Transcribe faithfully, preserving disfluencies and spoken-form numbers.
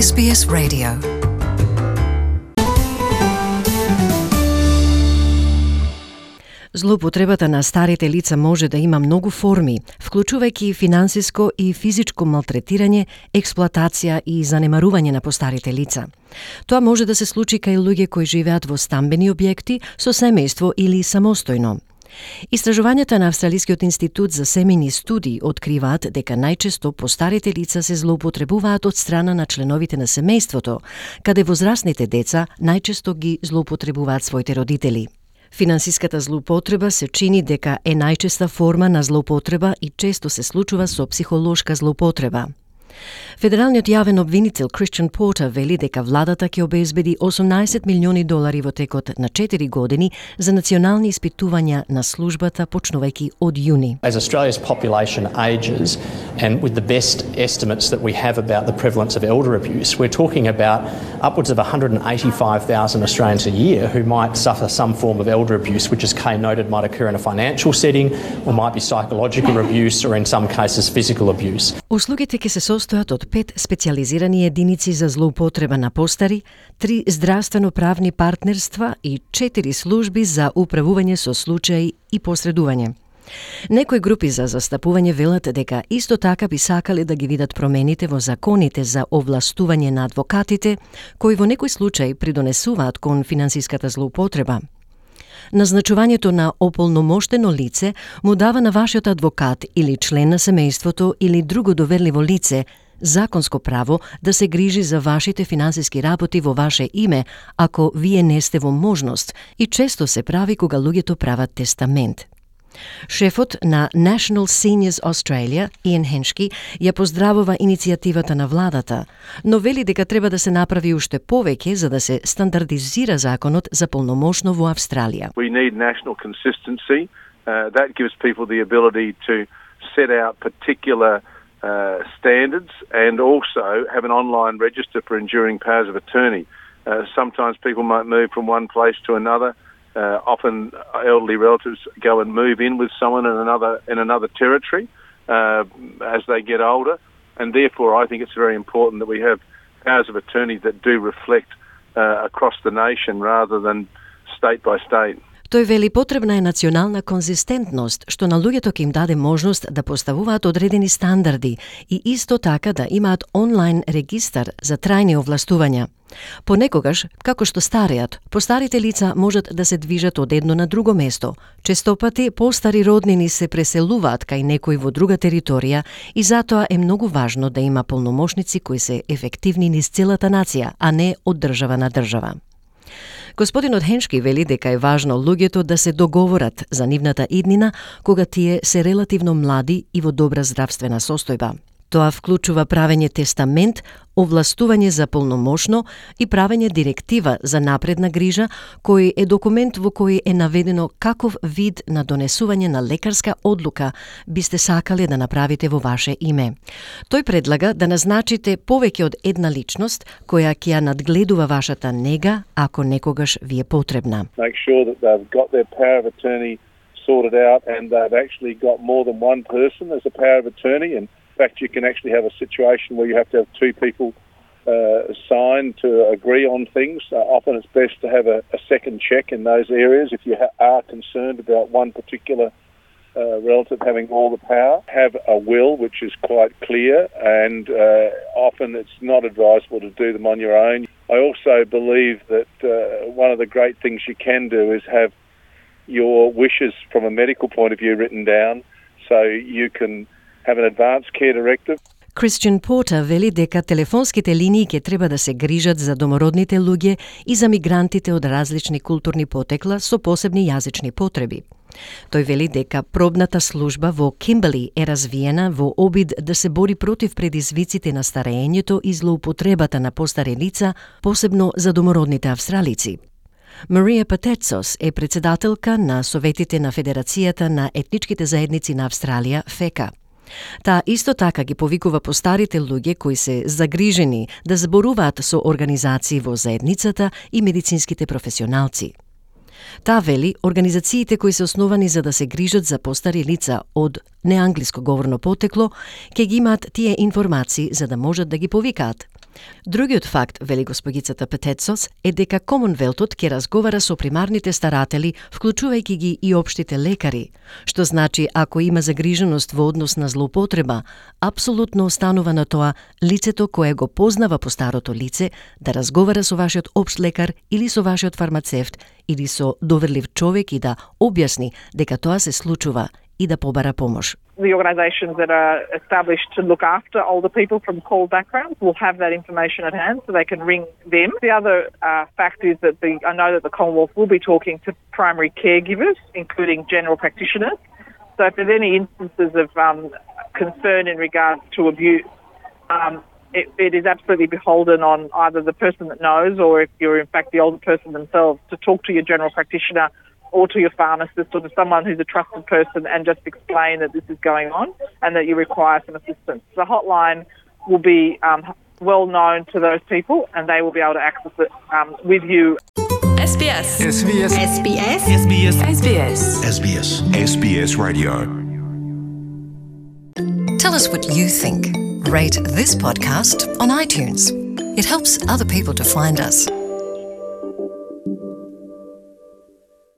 Ес Би Ес Radio. Злоупотребата на старите лица може да има многу форми, вклучувајќи финансиско и физичко малтретирање, експлоатација и занемарување на постарите лица. Тоа може да се случи кај луѓе кои живеат во стамбени објекти, со семејство или самостојно. Истражувањата на Австралискиот институт за семејни студии откриваат дека најчесто постарите лица се злоупотребуваат од страна на членовите на семејството, каде возрастните деца најчесто ги злоупотребуваат своите родители. Финансиската злоупотреба се чини дека е најчеста форма на злоупотреба и често се случува со психолошка злоупотреба. Федералниот јавен обвинител Christian Porter вели дека владата ќе обезбеди осумнаесет милиони долари во текот на четири години за национални испитувања на службата почнувајќи од јуни. As Australia's population ages and with the best estimates that we have about the prevalence of elder abuse, we're talking about upwards of one hundred eighty-five thousand Australians a year who might suffer some form of elder abuse, which as Kay noted might occur in a financial setting or might be psychological abuse or in some cases physical abuse. Услугите ќе се состојат од пет специализирани единици за злоупотреба на постари, три здравствено-правни партнерства и четири служби за управување со случаи и посредување. Некои групи за застапување велат дека исто така би сакале да ги видат промените во законите за овластување на адвокатите, кои во некој случај придонесуваат кон финансиската злоупотреба. Назначувањето на ополномоштено лице му дава на вашиот адвокат или член на семејството или друго доверливо лице законско право да се грижи за вашите финансиски работи во ваше име, ако вие не сте во можност, и често се прави кога луѓето прават тестамент. Шефот на National Seniors Australia, Иан Хеншки, ја поздравува иницијативата на владата, но вели дека треба да се направи уште повеќе за да се стандардизира законот за полномошно во Австралија. We need national consistency. Uh, that gives people the ability to set out particular uh, standards and also have an online register for enduring powers of attorney. Uh, sometimes people might move from one place to another. Uh, often elderly relatives go and move in with someone in another in another territory uh, as they get older, and therefore I think it's very important that we have powers of attorney that do reflect uh, across the nation rather than state by state. Тој вели потребна е национална конзистентност, што на луѓето ќе им даде можност да поставуваат одредени стандарди и исто така да имаат онлайн регистар за трајни овластувања. Понекогаш, како што стареат, постарите лица можат да се движат од едно на друго место. Честопати постари роднини се преселуваат кај некој во друга територија и затоа е многу важно да има полномошници кои се ефективни низ целата нација, а не од држава на држава. Господинот Хеншки вели дека е важно луѓето да се договорат за нивната иднина кога тие се релативно млади и во добра здравствена состојба. Тоа вклучува правење тестамент, овластување за полномошно и правење директива за напредна грижа, кој е документ во кој е наведено каков вид на донесување на лекарска одлука бисте сакале да направите во ваше име. Тој предлага да назначите повеќе од една личност која ќе ја надгледува вашата нега ако некогаш ви е потребна. Make sure that they've got their power of attorney sorted out and they've actually got more than one person as a power of attorney, and in fact, you can actually have a situation where you have to have two people uh, sign to agree on things. Uh, often it's best to have a, a second check in those areas if you ha- are concerned about one particular uh, relative having all the power. Have a will which is quite clear, and uh, often it's not advisable to do them on your own. I also believe that uh, one of the great things you can do is have your wishes from a medical point of view written down so you can have an advance care directive. Christian Porter вели дека телефонските линии ќе треба да се грижат за домородните луѓе и за мигрантите од различни културни потекла со посебни јазични потреби. Тој вели дека пробната служба во Кимберли е развиена во обид да се бори против предизвиците на старењето и злоупотребата на постари лица, посебно за домородните австралици. Марија Патецос е председателка на Советите на Федерацијата на етничките заедници на Австралија, ФЕКА. Таа исто така ги повикува постарите луѓе кои се загрижени да зборуваат со организации во заедницата и медицинските професионалци. Таа вели, организациите кои се основани за да се грижат за постари лица од неанглиско говорно потекло, ќе ги имаат тие информации за да можат да ги повикаат. Другиот факт, вели госпогицата Петецос, е дека Комонвелтот ќе разговара со примарните старатели, вклучувајќи ги и општите лекари, што значи ако има загриженост во однос на злоупотреба, апсолутно останува на тоа лицето кое го познава по старото лице да разговара со вашиот општ лекар или со вашиот фармацевт или со доверлив човек и да објасни дека тоа се случува и да побара помош. The organisations that are established to look after older people from call backgrounds will have that information at hand so they can ring them. The other uh, fact is that the, I know that the Commonwealth will be talking to primary caregivers, including general practitioners. So if there's any instances of um, concern in regards to abuse, um, it, it is absolutely beholden on either the person that knows or if you're in fact the older person themselves to talk to your general practitioner or to your pharmacist or to someone who's a trusted person and just explain that this is going on and that you require some assistance. The hotline will be um, well known to those people and they will be able to access it um, with you. S B S. S B S. S B S. S B S. S B S. S B S. S B S Radio. Tell us what you think. Rate this podcast on iTunes. It helps other people to find us.